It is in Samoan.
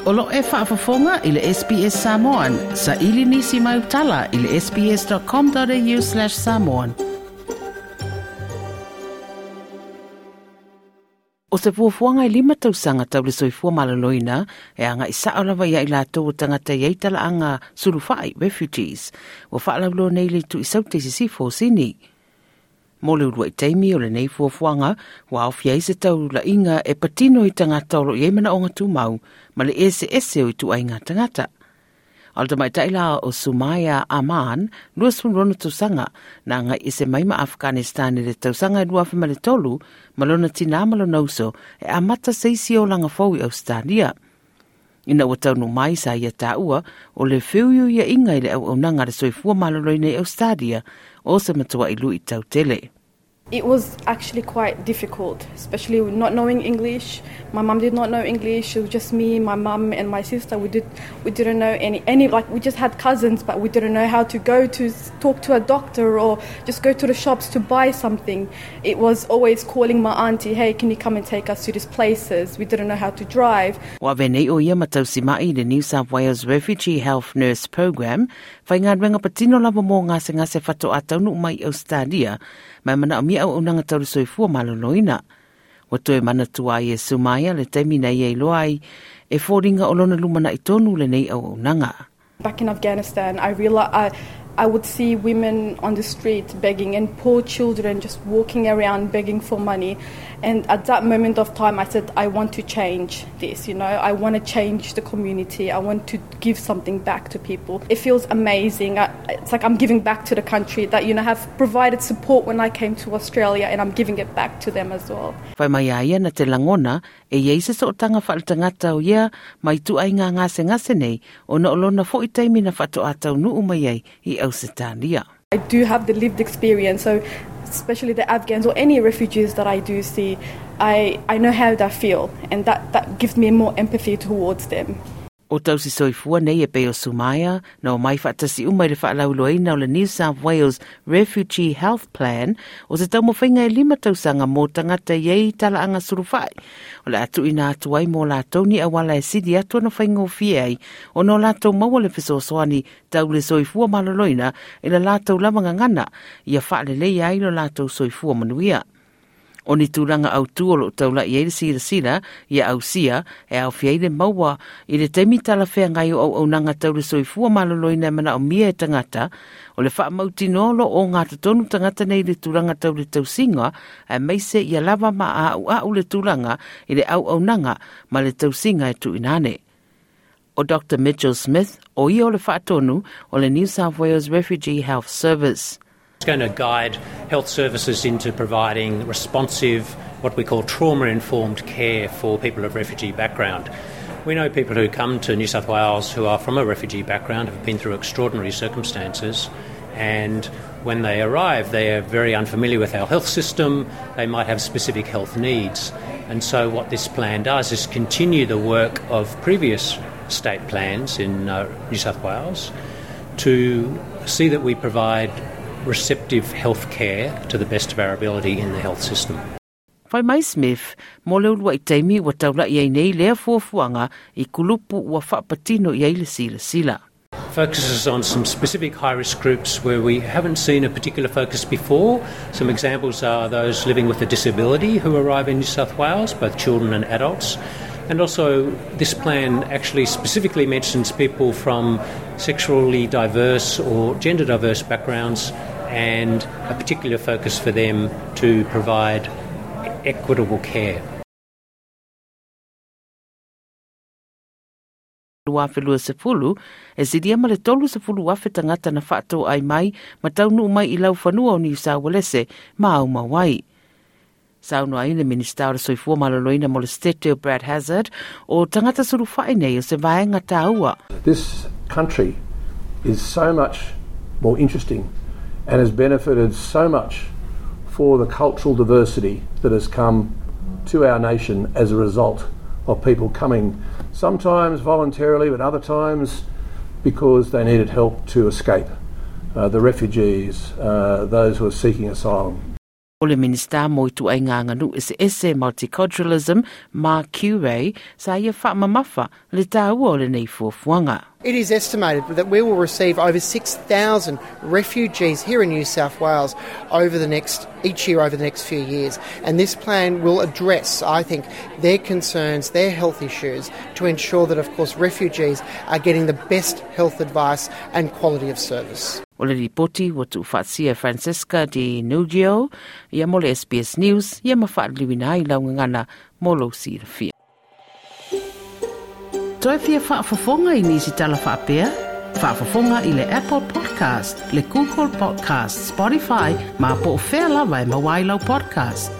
O lo e faafofoga i le SBS Samoan. Saili nisi mau tala i le sbs.com.au/samoan. O se fuafuaga e lima tausaga tau le soifua maloloina e agaʻi saʻo lava ia i latou o tagata i ai talaaga sulufaʻi refugees ua faalauloa nei le Tuisaute i sisifo o Sini. Mo le uluai taimi o lenei fuafuaga ua aofia ai se taulaiga e patino i tagata o loo i ai manaoga tumau ma le eseese o ituaiga tagata. A o le tamaitai la o Sumaya Aman, 26 tausaga, na agai ese mai ma Afghanistan i le tausaga e 2003 ma lona tinā ma lona uso e amata se isi olaga fou i Ausetalia. Ina ua taunuu mai sa ia taua o le feuiuiaʻiga i le auaunaga a le soifua maloloina i Ausetalia o se matuaʻi luʻitau tele. It was actually quite difficult, especially not knowing English. My mum did not know English. It was just me, my mum, and my sister. We didn't know any like we just had cousins, but we didn't know how to go to talk to a doctor or just go to the shops to buy something. It was always calling my auntie, "Hey, can you come and take us to these places?" We didn't know how to drive. Ua avea nei ʻo ia ma tausimaʻi i le New South Wales Refugee Health Nurse Program, faigaluega patino lava mo gasegase faatoa taunuu mai i Ausetalia, ma e manaomia auaunaga tau le soifua maloloina. Ua toe manatua ai e Sumaia le taimi na ia iloa ai e foliga o lona lumanaʻi tonu lenei auaunaga. Back in Afghanistan, I realized I would see women on the street begging and poor children just walking around begging for money. And at that moment of time, I said, I want to change this, you know, I want to change the community. I want to give something back to people. It feels amazing. It's like I'm giving back to the country that, you know, have provided support when I came to Australia, and I'm giving it back to them as well. Fai mai a ia na te lagona e i ai se sootaga faaletagata o ia ma ituaiga gasegase nei ona o lona foʻi taimi na faatoa taunuu mai ai i Ausetalia. I do have the lived experience, so especially the Afghans or any refugees that I do see, I know how they feel, and that gives me more empathy towards them. O tausi soifua nei e pei o Sumaia, na omai faatasi uma i le faalauiloaina o le New South Wales Refugee Health Plan, o se taumafaiga e lima tausaga mo tagata i ai talaaga sulufaʻi. O le a tuuina atu ai mo latou ni auala e sili atu ona faigofie ai ona o latou maua le fesoasoani tau le soifua maloloina i le latou lava gagana ia faaleleia ai lo latou soifua manuia. O ni tulaga autū o loo taulaʻi ai le silasila ia ausia e aofia ai le maua i le taimi talafeagai o auaunaga tau le soifua maloloina e manaomia e tagata, o le faamautinoa o loo ogatotonu tagata nei i le tulaga tau le tausiga aemaise ia lava ma aaʻuaʻu le tulaga i le auaunaga ma le tausiga e tuuina ane. O Dr Mitchell Smith, o ia o le faatonu o le New South Wales Refugee Health Service. It's going to guide health services into providing responsive, what we call trauma-informed care for people of refugee background. We know people who come to New South Wales who are from a refugee background have been through extraordinary circumstances, and when they arrive they are very unfamiliar with our health system, they might have specific health needs. And so what this plan does is continue the work of previous state plans in New South Wales to see that we provide receptive health care to the best of our ability in the health system. Fai mai Smith, mo le uluaʻi taimi ua taulaʻi ai nei lea fuafuaga i kulupu ua faapatino i ai le silasila. Focuses on some specific high-risk groups where we haven't seen a particular focus before. Some examples are those living with a disability who arrive in New South Wales, both children and adults. And also, this plan actually specifically mentions people from sexually diverse or gender diverse backgrounds, and a particular focus for them to provide equitable care. 2020, e silia ma le 30,000 tagata na faatoai mai ma taunuu mai i laufanua o Niu Saualese ma aumau ai. Saunoa ai le Minista o le Soifua Maloloina mo le Setete o Brad Hazzard, o tagata sulufaʻi nei o se vaega taua. This country is so much more interesting and has benefited so much for the cultural diversity that has come to our nation as a result of people coming, sometimes voluntarily, but other times because they needed help to escape. The refugees, those who are seeking asylum. O le Minisita mo Ituaiga Aganuu Eseese Multiculturalism Mark Coure sa ia faamamafa le tāua o lenei fuafuaga. It is estimated that we will receive over 6,000 refugees here in New South Wales over the next each year over the next few years. And this plan will address, I think, their concerns, their health issues, to ensure that, of course, refugees are getting the best health advice and quality of service. O le lipoti ua tuufaatasia e Francesca Di Nugio ia mo le SBS News ia ma faaliliuina ai lau gagana mo lou silafia. Toe fia faafofoga i nisi tala faapea? Faafofoga i le Apple Podcast, le Google Podcast, Spotify, ma po o fea lava e maua ai lau podcast.